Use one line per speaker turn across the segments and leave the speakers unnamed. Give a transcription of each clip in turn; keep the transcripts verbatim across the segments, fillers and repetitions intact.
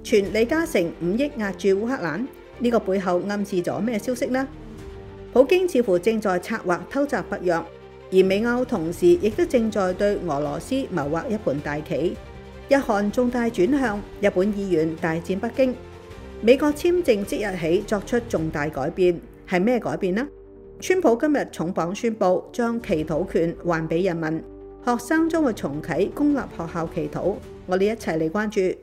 傳李嘉誠五億壓住烏克蘭，呢個背後暗示咗咩消息呢？普京似乎正在策劃偷襲北約，而美歐同時亦都正在對俄羅斯謀劃一盤大棋。日韓重大轉向，日本議員大戰北京。美國簽證即日起作出重大改變，係咩改變呢？川普今日重磅宣布將祈禱權還俾人民，學生將會重啟公立學校祈禱。我哋一齊嚟關注。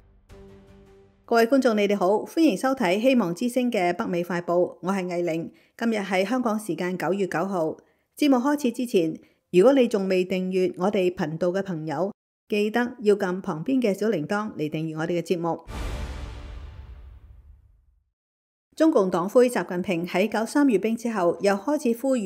各位觀眾，你哋好，歡迎收睇希望之聲嘅北美快報，我係藝玲。今日係香港時間九月九號。節目開始之前，如果你仲未訂閱我哋頻道嘅朋友，記得要撳旁邊嘅小鈴鐺嚟訂閱我哋嘅節目。中共黨魁習近平喺九三閱兵之後，又開始呼籲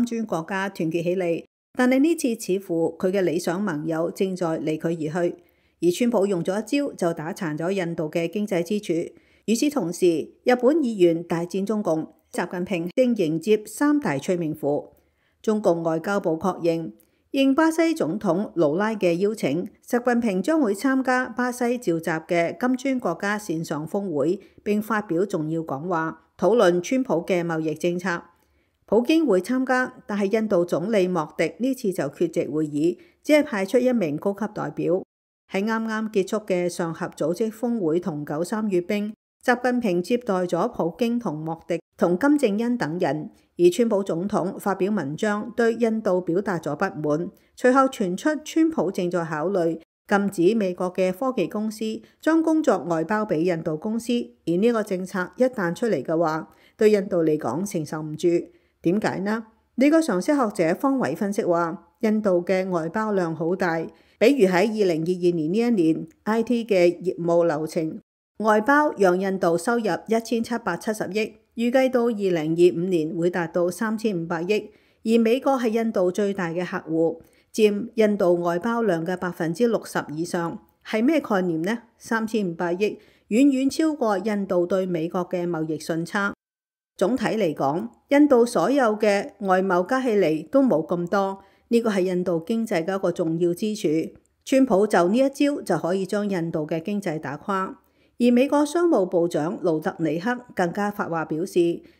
金磚國家團結起嚟，但係呢次似乎佢嘅理想盟友正在離佢而去。而川普用咗一招就打殘咗印度嘅經濟支柱。與此同時，日本議員大戰中共，習近平正迎接三大催命符。中共外交部確認，應巴西總統盧拉嘅邀請，習近平將會參加巴西召集嘅金磚國家線上峰會，並發表重要講話，討論川普嘅貿易政策。普京會參加，但係印度總理莫迪呢次就缺席會議，只係派出一名高級代表。喺啱啱結束嘅上合組織峰會同九三閱兵，習近平接待咗普京同莫迪同金正恩等人，而川普總統發表文章對印度表達咗不滿。隨後傳出川普正在考慮禁止美國嘅科技公司將工作外包俾印度公司，而呢個政策一旦出嚟嘅話，對印度嚟講承受唔住。點解呢？美國常識學者方偉分析話，印度嘅外包量好大。比如喺二零二二年呢一年 I T 嘅業務流程外包讓印度收入一千七百七十億，預計到二零二五年會達到三千五百億，而美國係印度最大嘅客戶，佔印度外包量嘅百分之六十以上。係咩概念呢？三千五百億遠遠超過印度對美國嘅貿易順差。總體嚟講，印度所有嘅外貿加起嚟都冇咁多。呢個係印度經濟嘅一個重要支柱，川普就呢一招就可以將印度嘅經濟打垮。而美國商務部長盧特尼克更加發話表示，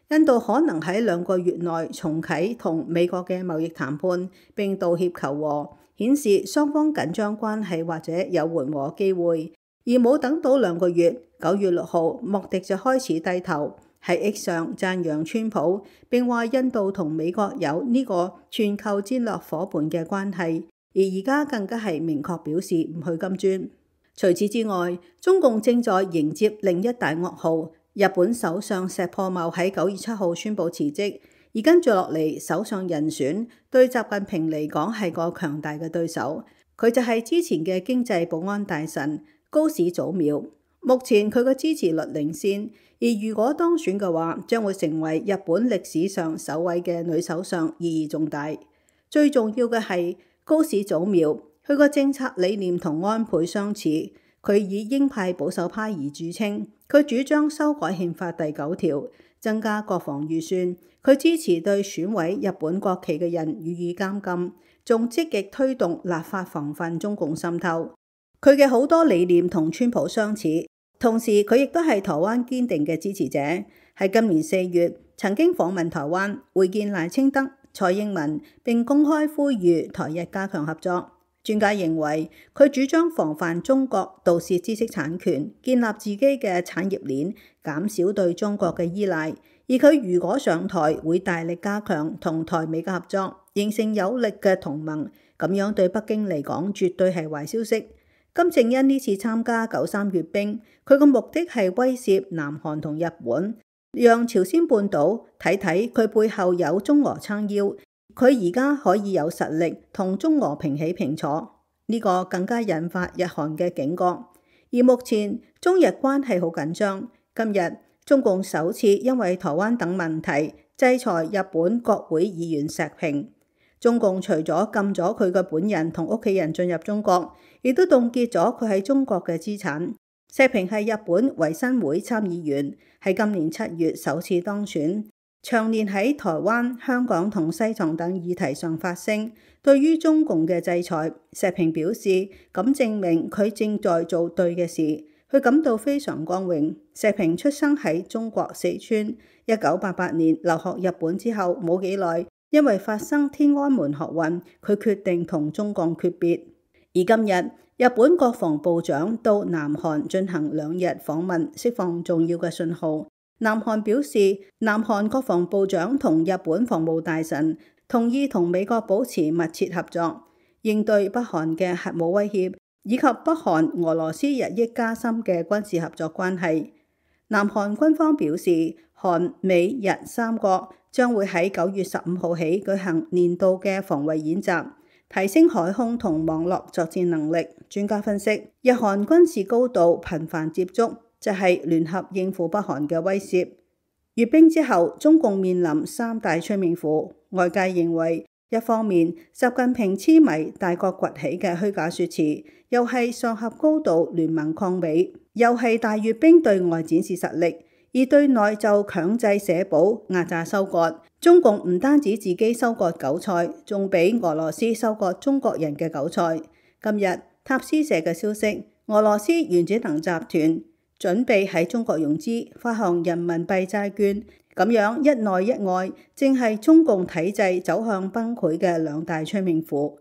印度可能喺兩個月內重啟同美國嘅貿易談判，並道歉求和，顯示雙方緊張關係或者有緩和機會。而冇等到兩個月，九月六號莫迪就開始低頭。喺 X 上讚揚川普，並話印度同美國有呢個全球戰略夥伴嘅關係，而而家更加係明確表示唔去金磚。除此之外，中共正在迎接另一大噩耗。日本首相石破茂喺九月七號宣布辭職，而跟住落嚟首相人選對習近平嚟講係個強大嘅對手，佢就係之前嘅經濟保安大臣高市早苗。目前佢嘅支持率領先，而如果當選嘅話，將會成為日本歷史上首位嘅女首相，意義重大。最重要嘅係高市早苗，佢個政策理念同安倍相似，佢以鷹派保守派而著稱。佢主張修改憲法第九條，增加國防預算。佢支持對損毀日本國旗嘅人予以監禁，仲積極推動立法防範中共滲透。佢嘅好多理念同川普相似。同時，佢亦都係台灣堅定嘅支持者。喺今年四月，曾經訪問台灣，會見賴清德、蔡英文，並公開呼籲台日加強合作。專家認為，佢主張防範中國盜竊知識產權，建立自己嘅產業鏈，減少對中國嘅依賴。而佢如果上台，會大力加強同台美嘅合作，形成有力嘅同盟。咁樣對北京嚟講，絕對係壞消息。金正恩呢次參加九三閱兵，佢個目的係威懾南韓同日本，讓朝鮮半島睇睇佢背後有中俄撐腰，佢而家可以有實力同中俄平起平坐。呢個更加引發日韓嘅警覺。而目前中日關係好緊張，今日中共首次因為台灣等問題制裁日本國會議員石平。中共除咗禁咗佢嘅本人同屋企人進入中國，亦都凍結咗佢喺中國嘅資產。石平係日本維新會參議員，喺今年七月首次當選，長年喺台灣、香港同西藏等議題上發聲。對於中共嘅制裁，石平表示咁證明佢正在做對嘅事。佢感到非常光榮。石平出生喺中國四川，一九八八年留學日本之後冇幾耐，因為發生天安門學運，佢決定同中共決別。而今日，日本國防部長到南韓進行兩日訪問，釋放重要嘅信號。南韓表示，南韓國防部長同日本防務大臣同意同美國保持密切合作，應對北韓嘅核武威脅，以及北韓俄羅斯日益加深嘅軍事合作關係。南韓軍方表示，韓美日三國將會喺九月十五號起舉行年度嘅防衛演習，提升海空同網絡作戰能力。專家分析，日韓軍事高度頻繁接觸，就係聯合應付北韓嘅威懾。閱兵之後，中共面臨三大催命符。外界認為，一方面習近平痴迷大國崛起嘅虛假說辭，又係上合高度聯盟抗美，又係大閱兵對外展示實力，而對內就強制社保壓榨收割。中共唔單止自己收割韭菜，仲俾俄羅斯收割中國人嘅韭菜。今日塔斯社嘅消息，俄羅斯原子能集團準備喺中國融資發行人民幣債券，咁樣一內一外，正係中共體制走向崩潰嘅兩大催命符。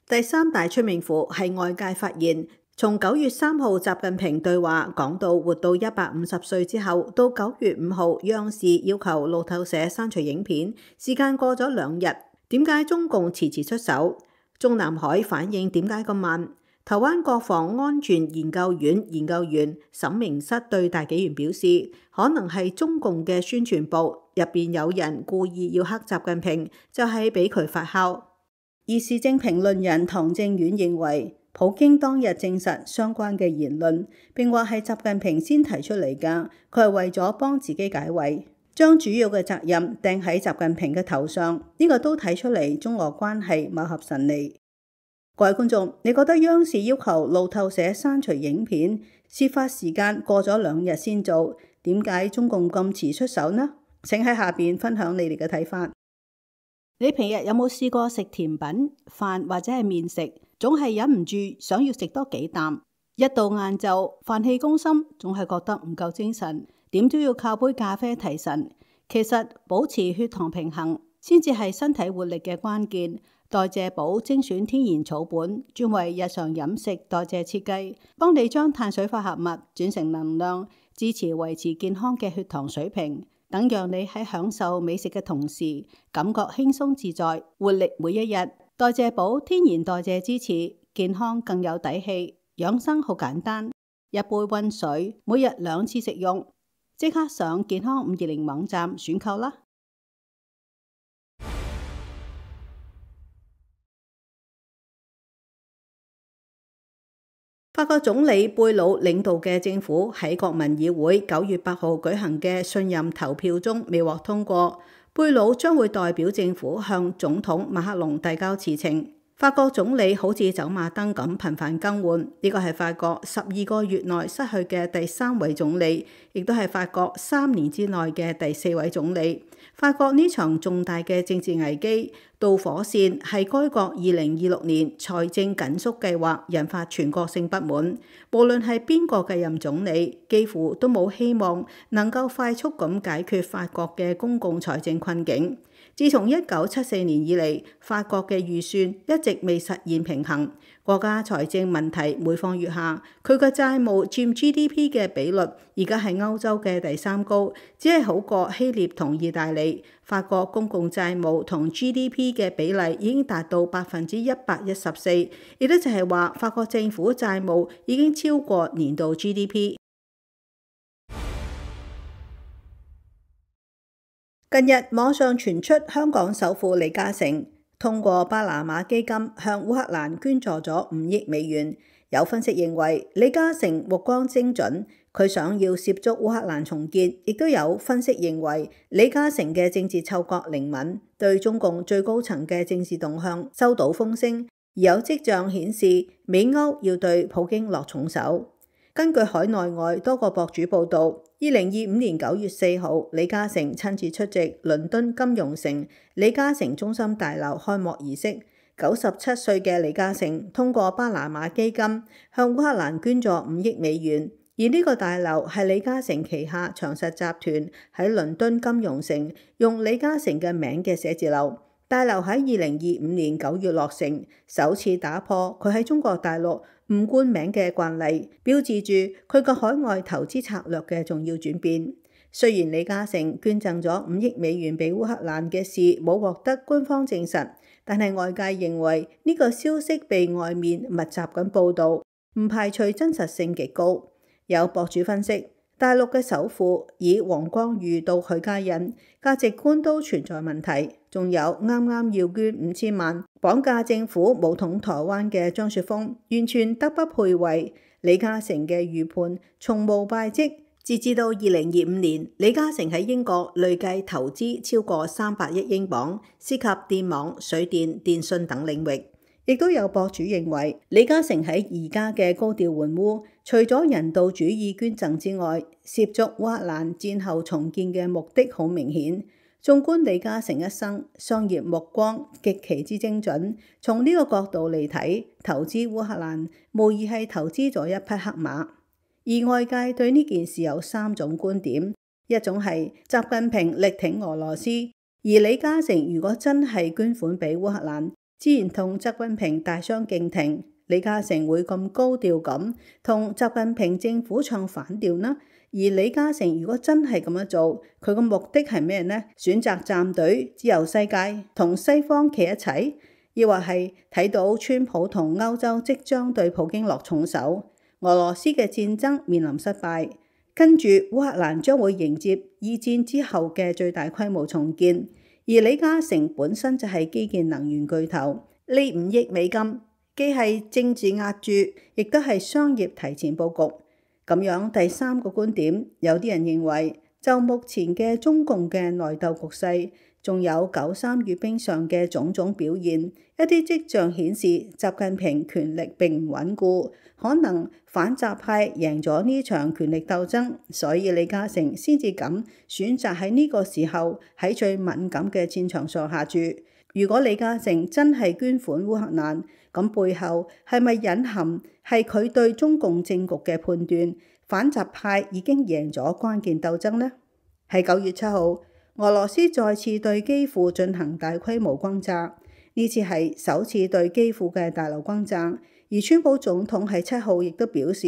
第三大催命符係外界發現，從九月三號習近平對話講到活到一百五十歲之後，到九月五號央視要求路透社刪除影片，時間過咗兩日，點解中共遲遲出手？中南海反應點解咁慢？台灣國防安全研究院研究員沈明室對大紀元表示，可能係中共嘅宣傳部入邊有人故意要黑習近平，就係俾佢發酵。而時政評論人唐正遠認為，普京當日證實相關嘅言論，並話係習近平先提出嚟㗎，佢係為咗幫自己解圍，將主要嘅責任掟喺習近平嘅頭上。呢、這個都睇出嚟中俄關係貌合神離。各位觀眾，你覺得央視要求路透社刪除影片，事發時間過咗兩日先做，點解中共咁遲出手呢？請喺下邊分享你哋嘅睇法。你平日有冇試過食甜品、飯或者係麵食，總係忍唔住想要食多幾啖？一到晏晝，飯氣攻心，總係覺得唔夠精神，點都要靠杯咖啡提神。其實保持血糖平衡，先至係身體活力嘅關鍵。代謝寶精選天然草本，專為日常飲食代謝設計，幫你將碳水化合物轉成能量，支持維持健康嘅血糖水平，等讓你喺享受美食嘅同時，感覺輕鬆自在，活力每一日。代謝寶天然代謝支持，健康更有底氣。養生好簡單，一杯溫水，每日兩次食用。即刻上健康五二零網站選購啦！法國總理貝魯領導嘅政府喺國民議會九月八號舉行嘅信任投票中未獲通過，貝魯將會代表政府向總統馬克龍遞交辭呈。法國總理好似走馬燈咁頻繁更換，呢個係法國十二個月內失去嘅第三位總理，亦都係法國三年之內嘅第四位總理。法國呢場重大嘅政治危機導火線係該國二零二六年財政緊縮計劃引發全國性不滿，無論係邊個繼任總理，幾乎都冇希望能夠快速咁解決法國嘅公共財政困境。自從一九七四年以嚟，法國嘅預算一直未實現平衡，國家財政問題每況愈下，佢嘅債務佔 G D P 嘅比率而家係歐洲嘅第三高，只係好過希臘同意大利。法國公共債務同 G D P 嘅比例已經達到百分之一百一十四，亦都就係話法國政府債務已經超過年度 G D P。近日網上傳出香港首富李嘉誠通過巴拿馬基金向烏克蘭捐助咗五億美元。有分析認為李嘉誠目光精準，佢想要涉足烏克蘭重建。亦都有分析認為李嘉誠嘅政治嗅覺靈敏，對中共最高層嘅政治動向收到風聲，而有跡象顯示美歐要對普京落重手。根據海內外多個博主報道，二零二五年九月四號，李嘉誠親自出席倫敦金融城李嘉誠中心大樓開幕儀式。九十七歲嘅李嘉誠通過巴拿馬基金向烏克蘭捐助五億美元，而呢個大樓係李嘉誠旗下長實集團喺倫敦金融城用李嘉誠嘅名嘅寫字樓。大樓喺二零二五年九月落成，首次打破佢喺中國大陸唔冠名嘅慣例，標誌住佢個海外投資策略嘅重要轉變。雖然李嘉誠捐贈咗五億美元俾烏克蘭嘅事冇獲得官方證實，但係外界認為呢個消息被外面密集咁報導，唔排除真實性極高。有博主分析，大陸嘅首富以黃光裕到許家印，價值觀都存在問題。仲有啱啱要捐五千萬綁架政府武統台灣嘅張雪峰，完全德不配位。李嘉誠嘅預判從無敗績。截至到二零二五年，李嘉誠喺英國累計投資超過三百億英鎊，涉及電網、水電、電信等領域。亦都有博主認為，李嘉誠喺而家嘅高調援烏，除咗人道主義捐贈之外，涉足烏克蘭戰後重建嘅目的好明顯。縱觀李嘉誠一生，商業目光極其之精準。從呢個角度嚟睇，投資烏克蘭無疑係投資咗一匹黑馬。而外界對呢件事有三種觀點：一種係習近平力挺俄羅斯，而李嘉誠如果真係捐款俾烏克蘭，自然同習近平大相徑庭。李嘉誠會咁高調咁同習近平政府唱反調呢？而李嘉誠如果真係咁樣做，佢個目的係咩呢？選擇站隊自由世界，同西方企一齊，抑或係睇到川普同歐洲即將對普京落重手，俄羅斯嘅戰爭面臨失敗，跟住烏克蘭將會迎接二戰之後嘅最大規模重建。而李嘉誠本身就係基建能源巨頭，呢五億美金既係政治押注，亦都係商業提前佈局。咁樣第三個觀點，有啲人認為，就目前嘅中共嘅內鬥局勢，仲有九三閱兵上嘅種種表現，一啲跡象顯示習近平權力並唔穩固，可能反習派贏咗呢場權力鬥爭，所以李嘉誠先至咁選擇喺呢個時候喺最敏感嘅戰場上下注。如果李嘉誠真係捐款烏克蘭，咁背後係咪隱含係佢對中共政局嘅判斷，反習派已經贏咗關鍵鬥爭呢？喺九月七號，俄羅斯再次對基輔進行大規模轟炸，呢次係首次對基輔嘅大樓轟炸。而川普總統喺七號亦都表示，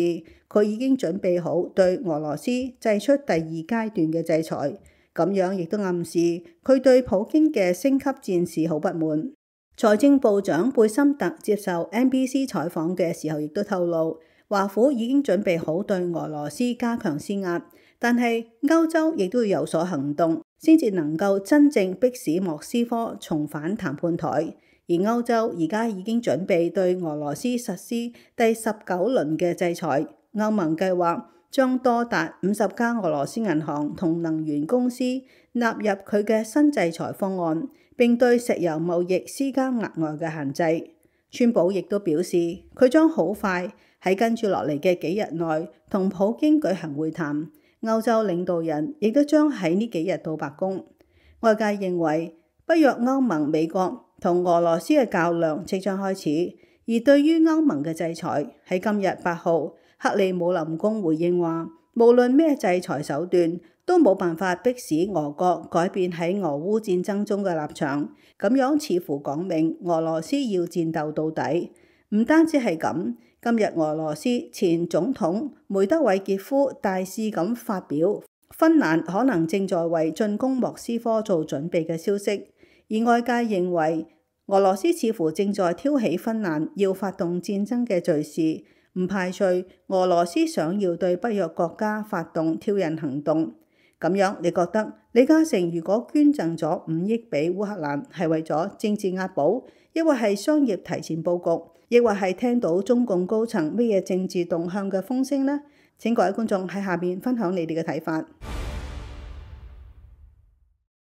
佢已經準備好對俄羅斯祭出第二階段嘅制裁。咁樣亦都暗示佢對普京嘅升級戰事好不滿。財政部長貝森特接受 N B C 採訪嘅時候，亦都透露，華府已經準備好對俄羅斯加強施壓，但係歐洲亦都要有所行動，先至能夠真正迫使莫斯科重返談判台。而歐洲而家已經準備對俄羅斯實施第十九輪嘅制裁，歐盟計劃將多達五十家俄羅斯銀行同能源公司納入佢嘅新制裁方案，並對石油貿易施加額外嘅限制。川普亦都表示，佢將好快喺跟住落嚟嘅幾日內同普京舉行會談。歐洲領導人亦都將喺呢幾日到白宮。外界認為，北約歐盟美國同俄羅斯嘅較量即將開始。而對於歐盟嘅制裁，喺今日八號，克里姆林宮回應話，無論咩制裁手段，都冇辦法迫使俄國改變喺俄烏戰爭中嘅立場。咁樣似乎講明俄羅斯要戰鬥到底。唔單止係咁，今日俄羅斯前總統梅德韋傑夫大肆咁發表芬蘭可能正在為進攻莫斯科做準備嘅消息，而外界認為俄羅斯似乎正在挑起芬蘭要發動戰爭嘅敘事，唔排除俄羅斯想要對北約國家發動挑釁行動。咁樣你覺得李嘉誠如果捐贈咗五億俾烏克蘭，係為咗政治押寶，抑或係商業提前佈局，抑或係聽到中共高層咩嘢政治動向嘅風聲呢？請各位觀眾喺下面分享你哋嘅睇法。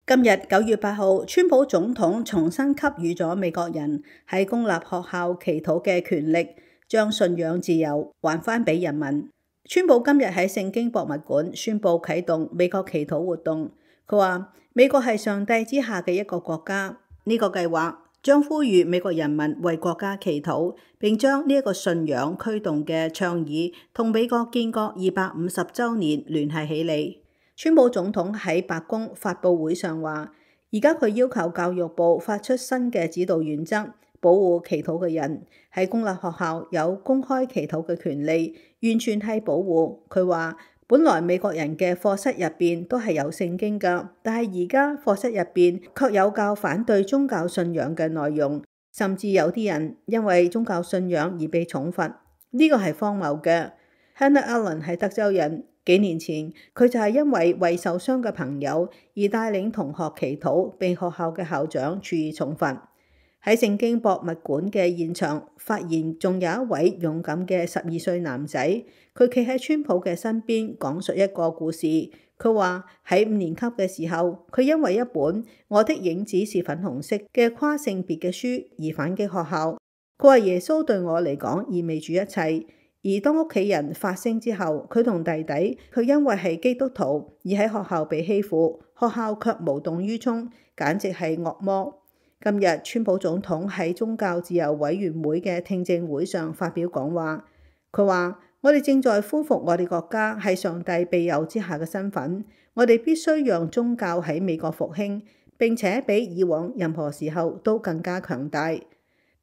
今日九月八號，川普總統重新給予咗美國人喺公立學校祈禱嘅權力，將信仰自由還返俾人民。川普今日喺聖經博物館宣布啟動美國祈禱活動。佢話美國係上帝之下嘅一個國家，呢個計劃將呼籲美國人民為國家祈禱，並將呢一個信仰驅動嘅倡議同美國建國二百五十週年聯繫起嚟。川普總統喺白宮發佈會上話，而家佢要求教育部發出新嘅指導原則，保護祈禱嘅人喺公立學校有公開祈禱嘅權利，完全係保護。佢話，本來美國人嘅課室入邊都係有聖經㗎，但係而家課室入邊卻有較反對宗教信仰嘅內容，甚至有啲人因為宗教信仰而被重罰，呢個係荒謬嘅。Hannah Allen 係德州人，幾年前佢就係因為為受傷嘅朋友而帶領同學祈禱，被學校嘅校長處以重罰。喺聖經博物館嘅現場，發現仲有一位勇敢嘅十二歲男仔，佢企喺川普嘅身邊講述一個故事。佢話喺五年級嘅時候，佢因為一本《我的影子是粉紅色》嘅跨性別嘅書而反擊學校。佢話耶穌對我嚟講意味住一切，而當屋企人發聲之後，佢同弟弟佢因為係基督徒而喺學校被欺負，學校卻無動於衷，簡直係惡魔。今日川普總統喺宗教自由委員會嘅聽證會上發表講話，佢話：我哋正在恢復我哋國家喺上帝庇佑之下嘅身份，我哋必須讓宗教喺美國復興，並且比以往任何時候都更加強大。咁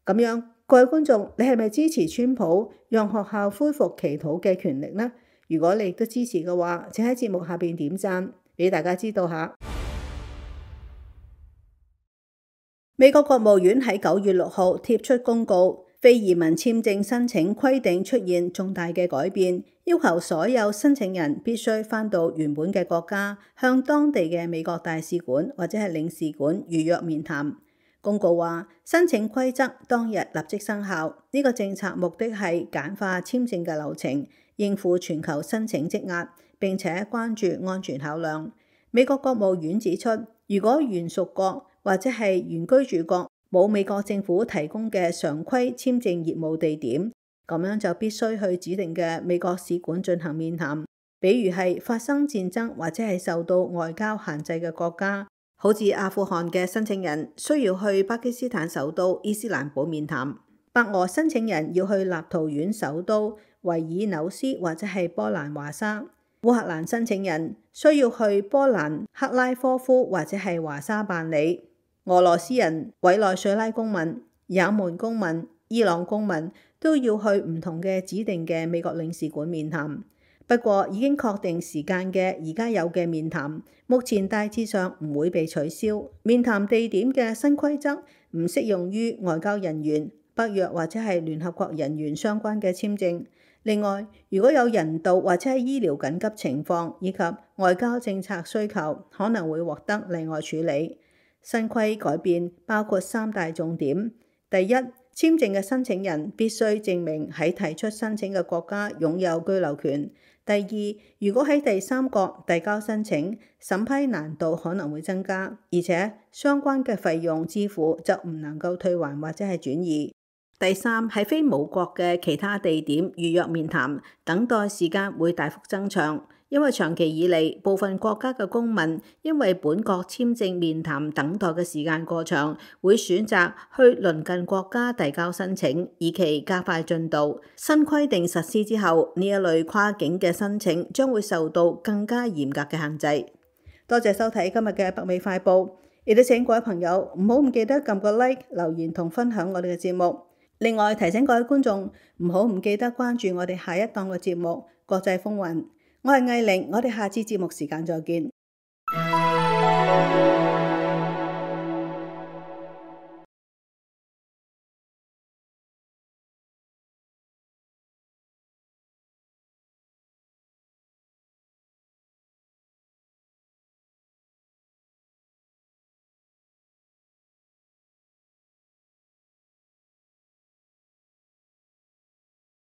樣，各位觀眾，你係咪支持川普讓學校恢復祈禱嘅權力呢？如果你亦都支持嘅話，請喺節目下邊點讚，俾大家知道下。美國國務院喺九月六號貼出公告，非移民簽證申請規定出現重大嘅改變，要求所有申請人必須返到原本嘅國家，向當地嘅美國大使館或者係領事館預約面談。公告話，申請規則當日立即生效。呢個政策目的係簡化簽證嘅流程，應付全球申請積壓，並且關注安全考量。美國國務院指出，如果原屬國或者係原居住國冇美國政府提供嘅常規簽證業務地點，咁樣就必須去指定嘅美國使館進行面談。比如係發生戰爭或者係受到外交限制嘅國家，好似阿富汗嘅申請人需要去巴基斯坦首都伊斯蘭堡面談，白俄申請人要去立陶宛首都維爾紐斯或者係波蘭華沙，烏克蘭申請人需要去波蘭克拉科夫或者係華沙辦理。俄羅斯人、委內瑞拉公民、也門公民、伊朗公民都要去唔同嘅指定嘅美國領事館面談。不過已經確定時間嘅而家有嘅面談，目前大致上唔會被取消。面談地點嘅新規則唔適用於外交人員、北約或者係聯合國人員相關嘅簽證。另外，如果有人道或者係醫療緊急情況以及外交政策需求，可能會獲得例外處理。新規改變包括三大重點：第一，簽證嘅申請人必須證明喺提出申請嘅國家擁有居留權；第二，如果喺第三國遞交申請，審批難度可能會增加，而且相關嘅費用支付就唔能夠退還或者係轉移；第三，喺非母國嘅其他地點預約面談，等待時間會大幅增長。因為長期以嚟，部分國家嘅公民因為本國簽證面談等待嘅時間過長，會選擇去鄰近國家遞交申請，以期加快進度。新規定實施之後，呢一類跨境嘅申請將會受到更加嚴格嘅限制。多謝收睇今日嘅北美快報，亦都請各位朋友唔好唔記得撳個 like、留言同分享我哋嘅節目。另外提醒各位觀眾唔好唔記得關注我哋下一檔嘅節目《國際風雲》。我係艾玲，我哋下次節目時間再見。